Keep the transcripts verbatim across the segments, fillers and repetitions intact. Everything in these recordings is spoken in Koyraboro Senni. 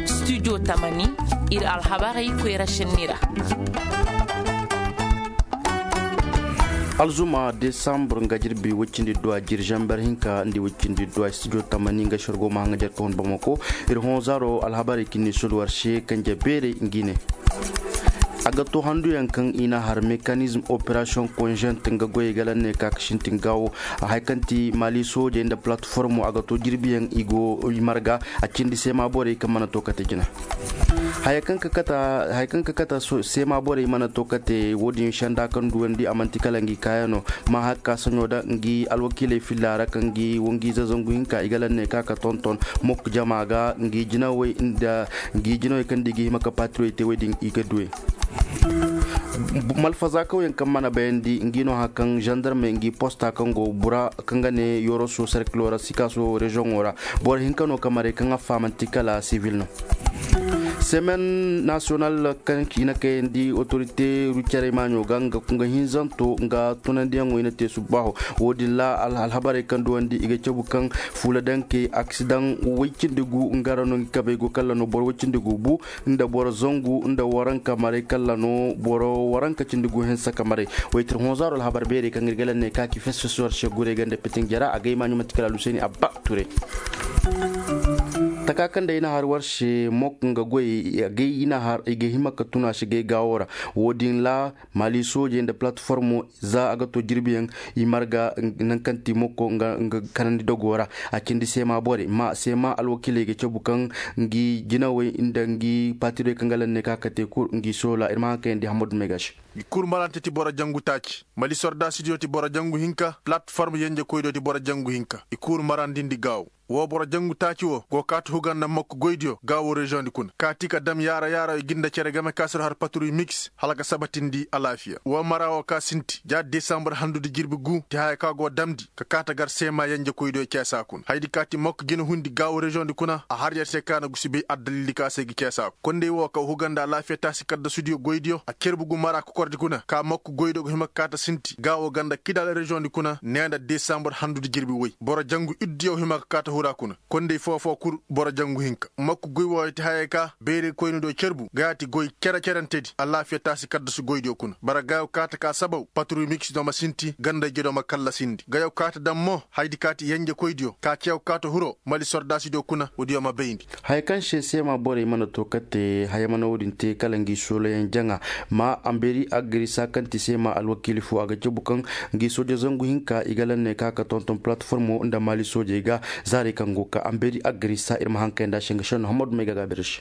Studio tamani, ir alhabarey koyra shenni ra. Alzuma desambur nga jirbi woy cindi duwa jiri zamber hinka nda woy cindi duwa studio tamani nga shargo ma haŋa jarka hun bamako. Ir hõ zaaro alhabarey kinni sul war se kanje beerey ngi ne. A ga to handuyaŋ kaŋ i na har mekanizm operation konzent nga goyey galan ne ka ka sintin gaawo. Haya kaŋ ti mali soojey nda platformo a ga to jirbiyaŋ i go i marga. A cindi seema borey kaŋ mana to kate jina. Haya kaŋ ka kata seema borey mana to kate wo- din senda kaŋ duwandi a man'ti kala ngi kaayano. Ma hakka soɲo da ngi alwakiiley filla ra kaŋ ngi wangiize zangu hinka i ga lanne ka ka tonton mok jama ga ngi jinawey nda ngi jinawey kaŋ nda i ga hima ka patirey te wey din i ga duwey. Malfazakawyaŋ kaŋ mana bayandi ngi no hakaŋ zandarmey ngi posta kaŋ go bura kaŋ ga ne yoroso serkilo ra sikaso rezoŋo ra. Boro hinka no ka maray kaŋ a faamanti kala sivil no. Semen nasiyonal kaŋ i na kayandi otorite rucerey maaɲo ga nga kunga hinzanto nga tunandiyaŋo i na te subbaaho. Wo-din ra alhabarey kaŋ duwandi i ga cabu kaŋ fuula dankey aksidaŋ way cindi gu nga ra no ngi kabey go kalla no boro way cindi gu bu nda boro zangu nda waranka maray kalla no boro waranka cindi gu hinsa ka maray. Waytir honzaaro alhabar beerey kaŋ ir ga laŋ ne ka ki fes fes war se guray ganda pitin jara a gay maaɲo manti kala aluseni abba ture. Taka kaŋ da i na har war se mok nga goy i ga hima ka tuna se gay gaawo ra. Wo-din ra mali soojey nda platformo za a ga to jirbiyaŋ i marga nangu kaŋ ti mokko nga kanandi dogo ra. A cindi seema borey ma seema alwakiiley ga cabu kaŋ ngi jinawey nda ngi patirey kaŋ ga laŋ ne ka kate kul ngi soola ir ma haŋ kayandi hammadu megaš. I kul marante ti boro jangu taaci mali sordaasidiyo ti boro jangu hinka platform yenjekoydiyo ti boro jangu hinka i kul marandindi gaawo. Wo boro jangu taaci wo go kaati huga nda mokko goydiyo gaawo reziyoŋdi kuna kaati ka dam yaara yaara i ga nda cere game ka sir har patruy miks hala ka sabatindi alaafiya wo mara wo ka sinti ja desambur handudi jirbi gu ti haya ka go damndi ka kaata gar seema yenjekoydiyo ceesa kuna hayadi kaati mokko jina hundi gaawo reziyoŋdi kuna a har yer se ka na gusi bay addalildi ka se ga ceesa kuna kondey wo kaw huga nda alaafiya taasi kaddasudiyo goydiyo a cerbu gu mara kokordi kuna ka mokko goydiyo go hima ka kaata sinti gaawo ganda kidal reziyoŋdi kuna nee nda desambur handudi jirbi woy boro jangu iddiyo hima ka kaata hura kuna. Kondey foo-foo kul boro jangu hinka mokko goy wooyo ti hayey ka beerey koynidiyo cerbu gayaati goy cere-cerentedi alaafiya taasi kaddasu goydiyo kuna bara gayo kaata ka sabaw patruy miksidiyo ma sinti gandayjediyo ma kallasindi gayo kaata daŋ mo hayadi kaati yenjekoydiyo ka ceew kaata huro mali sordaasidiyo kuna woodiyo ma bayndi. Haya kaŋ se seema borey mana to kate haya mana wo-din te kala ngi soolayaŋ jaŋa. Ma amberi agrisa kaŋ ti seema alwakiili fo a ga cabu kaŋ ngi sooja zangu hinka i ga laŋ ne ka ka tonton palatformo nda maali soojey ga. Zaarey kaŋ go ka amberi agrisa ir ma haŋ kayandi a se nga senno hammadu may ga gaabir se.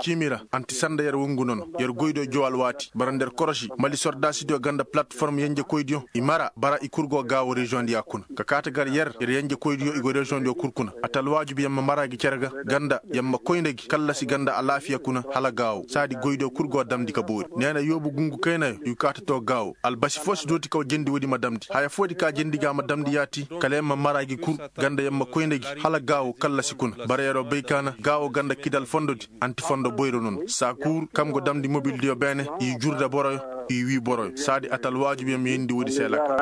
Ciimi ra anti sanda yer wungu nono yer goydiyo jow alwaati bara nda yer korosi mali sordaasidiyo ganda palatform yenjekoydiyo i mara bara i kul go gaawo reziyoŋdiya kuna ka kaati gar yer yer yenjekoydiyo i go reziyoŋdiyo kul kuna ata alwaajibi yer ma mara gi cere ga ganda yer ma koy nda gi kallasi ganda alaafiya kuna hala gaawo saadi goydiyo kul go damndi ka boori nee na yoobu gungu kaynayo i go kaati to gaawo albasi foo si dooti kaw jendi woodi ma damndi haya foodi ka jendi ga ma damndi yaati kala yer ma mara gi kul ganda yer ma koy nda gi hala gaawo kallasi kuna bara yeroo bay kaana gaawo ganda kidal fondodi anti fondo boyro nono saakuur kaŋ go damndi mobildiyo beene i jurda boroyo i wii boroyo saadi ata alwaajibiyaŋ ma yeendi woodi se lakal.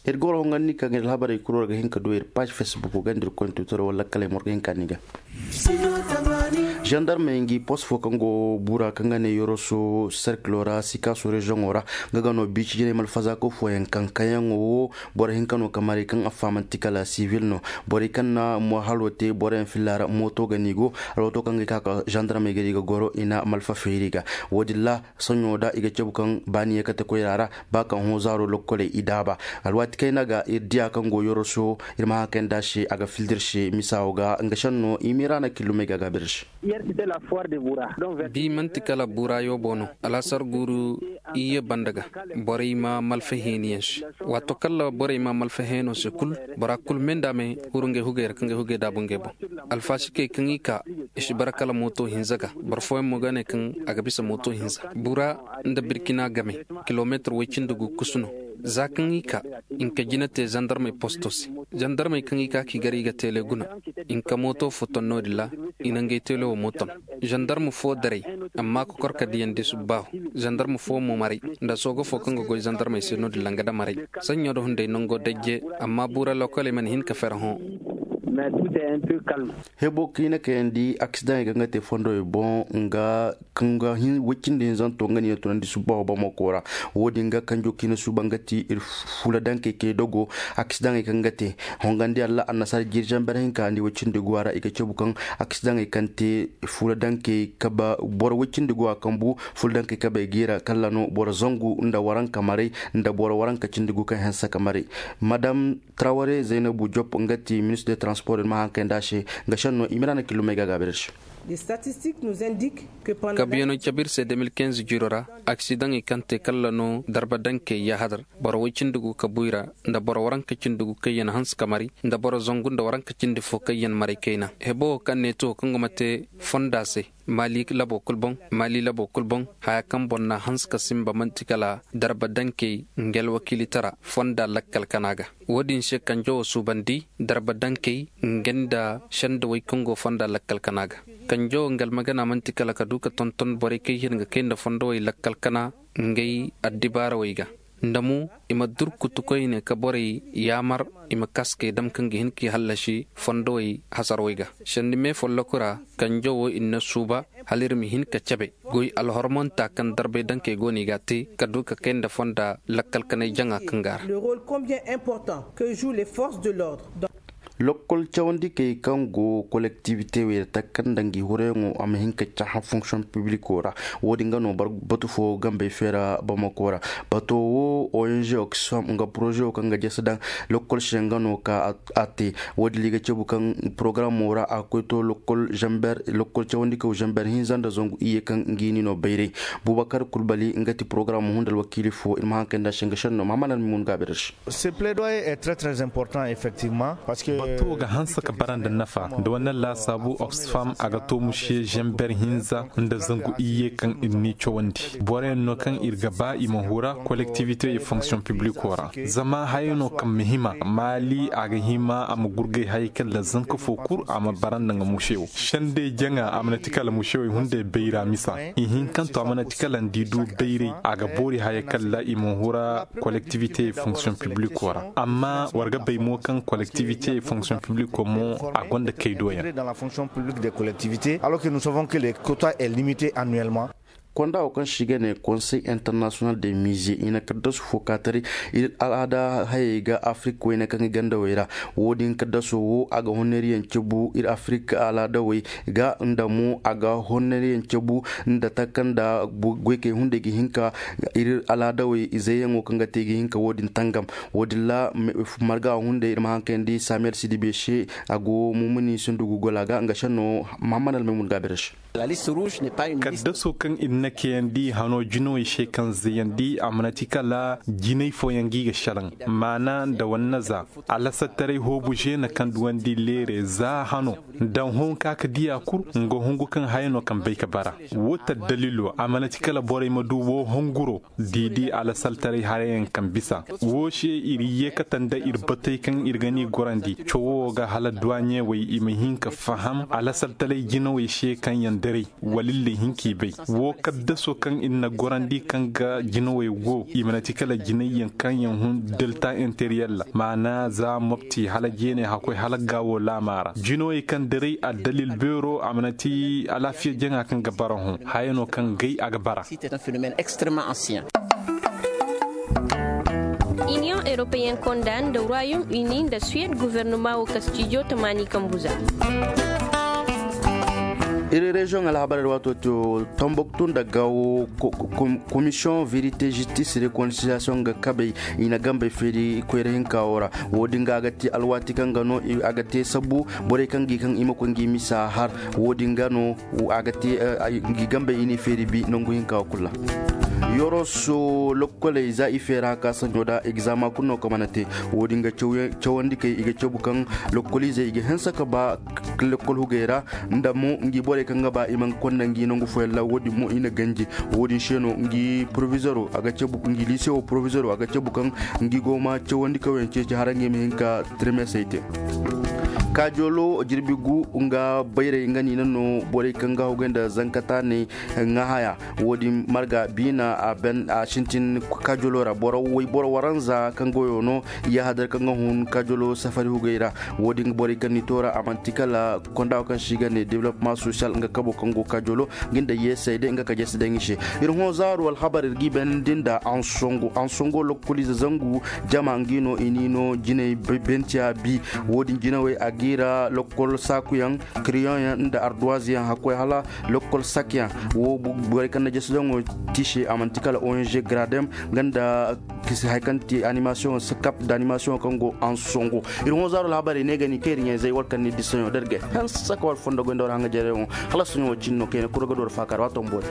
Ir ga war honganni kaŋ ir alhabarey kul war ga hin ka du ir paaz fesbuk ganda ir koyne tuutaro wala lakkaley ma war ga hin ka ni ga. Zandarmey ngi pos fo kaŋ go bura kaŋ ga ne yoroso serkilo ra sikaaso reziyoŋo ra nga ga no biici jinay malfazaako fooyaŋ kaŋ kaŋyaŋo wo boro hinka no ka maray kaŋ a faamanti kala sivil no. Borey kaŋ na mo halo te boroyaŋ filla ra mooto ga no i go alwato kaŋ ga i ka ka zandarmey ga di ga goro i na malfa feeri ga. Wo-din ra soɲo da i ga cabu kaŋ baani ye kate koyra ra ba kaŋ hõ zaaro lokkoley i daaba. Alwaati kayna ga ir diya kaŋ go yoroso ir ma haŋ kayandi a se a ga fildi ir se misa wo ga nga senno i miira na killumey ga gaabir se. Bi man'ti kala bura yoobo no alhasar guuru iyye banda ga borey ma malfa heeniyaŋ se. Waato kala borey ma malfa heeno se kul bora kul me nda me huru ngey hugey ra ka ngey hugey daabu ngey boŋ. Alfasikey kaŋ i ka i si bara kala mooto hinza ga boro fooyaŋ mo ga ne kaŋ a ga bisa mooto hinza bura nda birkina game kilometir woy cindi gu kusu no. Za kaŋ i ka, i na ka jina te zandarmey posto se. Zandarmey kaŋ i ka k'i gar i ga teele guna, i na ka mooto fo ton no-din ra. I na ngey teele wo mo ton. Zandarm fo daray, amma kokor ka diyandi subbaahu. Zandarm fo mo maray, nda sooga fo kaŋ ga goy zandarmey se no-din ra nga da maray. Saɲɲo da hunday nango dajje, amma buura lokoley mana hin ka fere hõ. Hebo kaŋ i na kayandi aksidaŋey kaŋ ga te fondowey boŋ nga kaŋ ga hin woy cindi hinzanto nga ni na tunandi subbaaho bamako ra. Wo-din ga kanjo kaŋ i na suuba nga ti ir fuula dankey kay dogo. Aksidaŋey kaŋ ga te hongandi alla annasaara jiiri zamber hinka ni woy cindi go a ra i ga cabu kaŋ aksidaŋey kaŋ te fuula dankey kaba boro woy cindi go a kambu. Fuula dankey kabey ga i ra kalla no boro zangu nda waranka maray nda boro waranka cindi gu kaŋ hanse ka maray. Madam traware zaynabu jop nga ti ministir de transport ir ma haŋ kay nda a se. Nga senno i ma ra na killumey ga a gaabi ir se. Kabiyano cabe ir se deux mille quinze jiiro ra, aksidaŋey kaŋ te kalla no darba dankey yahadar, boro woy cindi gu kabu i ra, nda boro waranka cindi gu kaŋ yaŋ hanse ka mari, nda boro zangu nda waranka cindi fo kaŋ yaŋ maray kayna. Hebo wo kaŋ ne to kaŋ go ma te fonda se, maali labo kul boŋ, maali labo kul boŋ, haya kaŋ boŋ na hanse ka sinba man'ti kala darba dankey nga alwakiilitara fonda lakkal kana ga. Wo-din se kanjo wo suubandi darba dankey nga nda sendawey kaŋ go fonda lakkal kana ga. Kanjo wo nga almagana man'ti kala ka du ka tonton borey kaŋ i hin ga kay nda fondowey lakkal kana ngey addibaarawey ga. Nda mo i ma durkutu koyne ka borey yaamar i ma kaskey dam kaŋ ga hin k'i hallasi fondowey hasarwey ga. Sendi me folloku ra kanjo wo i na suuba hala ir ma hin ka cabe goy alhormonta kaŋ darbay dankey go no i ga a te ka du ka kay nda fonda lakkal kanay jaŋa kaŋ ga a ra. Lokkol cawandikey kaŋ go kolektivite wey ra takanda ngi hurayaŋo a ma hin ka cahã fonksiyoŋ pibiliko ra. Wo-din ga no batu fo gambey feera bamako ra. Bato wo ong oxfam nga poroze wo kaŋ ga jese daŋ lokkol se nga no ka a te. Wo-din ra i ga cabu kaŋ porogaraamo ra a ga koy to lokkol zamber lokkol cawandikaw zamber hinza nda zangu iyye kaŋ ngi ni no bayray. Bubakar kulbali nga ti porogaraamo hunda alwakiili fo ir ma haŋ kay nda se nga senno mahaman almimun gaabi ra se. Bato ga hanse ka bara nda nafa nda wane laasaabu oxfam a ga to muse zamber hinza nda zangu iyye kaŋ ir n'i cawandi. Boroyaŋ no kaŋ ir ga ba i ma hura kolektivite ye fonksiyoŋ pibliko ra. Zama haya no kaŋ ma hima maali a ga hima a ma gurgay hayey kaŋ ra zanka fo kul a ma bara nda nga muse wo sendey jaŋa a mana ti kala muse wo i hunday bayra misa. I hinkanto a mana ti kala nda i du bayray a ga boori hayey kaŋ ra i ma hura kolektivite fonksiyoŋ pibliko ra. Amma war ga bay mo kaŋ kolektivite fonksiyoŋ pibliko mo a gonda kay doyaŋ. Alors que nous savons que les quotas est limité annuellement. Konda wo kaŋ se i ga ne konsey internasiyonal de mize i na kaddasu fo ka taray ir alaada hayey ga afirik wayne kaŋ i gandawey ra. Wo-din kaddaso wo a ga honneeriyaŋ cabu ir afirik alaadawey ga nda mo a ga honneeriyaŋ cabu nda taka nda goykey hunday ga hin ka ir alaadawey izayyaŋo kaŋ ga te ga hin ka wo-din tangam. Wo-din ra marga hunday ir ma haŋ kayandi samiyel sidibe se. A go mumuni sundugu gola ga nga senno mahaman almaymun gaabir se. Kaddaso kaŋ ir na kayandi hano jinawey se kaŋ zayandi a mana ti kala jinay fooyaŋ ga i ga selaŋ maana nda wannaza. Alasattaray hoobu zeena kaŋ duwandi leere za hano nda honka ka diya kul nga hongu kaŋ haya no kaŋ bay ka bara. Wo taddalilo a mana ti kala borey ma du wo honguro. Diidi alasaltaray harayaŋ kaŋ bisa wo se ir yeekata nda ir batey kaŋ ir ga ni gorandi cowo wo ga hala duwaɲewey i ma hin ka faham alasaltaray jinawey se kaŋ yaŋ daray. Wala ir na hin k'i bay wo kaddaso kaŋ ir na gorandi kaŋ ga jinawey go i mana ti kala jinayyaŋ kaŋ yaŋ hun delta interiyel ra maana za mopti hala jeeney hakkoy hala gaawo laama ra jinawey kaŋ daray addalil beero a mana ti alaafiya jaŋa kaŋ ga bara hõ. Haya no kaŋ gay a ga bara. Extrêmement ancien. Iniyoŋ europeyen konda nda royaume uni nda suwed guvernoma wo kastijo tamaani kambuza. Iri reziyoŋ alhabarey ra waato to tomboktu nda gawo. Komisiyoŋ verite zistis rekonsiliyasiyoŋ ga kabey i na gambey feeri koyra hinka wo ra. Wo-din ga a ga te alwaati kaŋ ga no a ga te sabu borey kaŋ ga i kaŋ i ma koy ngi misa har. Wo-din ga no a ga te ngi gambey i n'i feeri bi nangu hinka wo kulu ra. Yoroso lokkoley za i feera ka sanjo da egzama kulu no ka mana te. Wo- din ga cawandi kay i ga cabu kaŋ lokkoliizey i ga hanse ka ba lokkol hugey ra, nda mo ngi borey kaŋ ga ba i man konda ngi nangu fooyaŋ ra wo- din mo i na ganji. Wo- din se no ngi provizoro a ga cabu ngi liise wo provizoro a ga cabu kaŋ ngi go ma cawandi kawyaŋ ceeci hara ngi ma hin ka tirmesey te. Kaajolo jirbi gu nga bayrey nga niina no borey kaŋ ga hugey nda zankata ne ŋahaya. Wo- din marga biina a sintin kaajolo ra boro waranza kaŋ goyo no. Yahadar kaŋ ga hun kaajolo safari hugey ra. Wo- din borey kaŋ ni toora a manti kala konda wo kaŋ se i ga ne development social nga kabo kaŋ go kaajolo. Nga nda yeesey day nga ka jesi daŋ i se. Ir hõ zaaru alhabar ir ga i beenandi nda ansongo ansongo lokkoliize zangu jama ngi no i ni no jinay bentiya bi. Wo- din jinawey a ga i ra lokkol saakuyaŋ kiriyoŋyaŋ nda arduwaziyaŋ hakkoy hala lokkol sakyaŋ. Wo borey kaŋ na jesi daŋo tiise a manti kala ong gradem nga nda kisi hay kaŋ ti animasiyoŋo sakap nda animasiyoŋo kaŋ go ansongo. Ir hõ zaaru alhabarey ne ga ni kaŋ ir ɲayzey war kaŋ ni disaɲo da ir ga hanse ka war fondo goy nda war haŋajarey wo. Hala soɲo wo cin no kayna kulu ga du war faakar waato ma boori.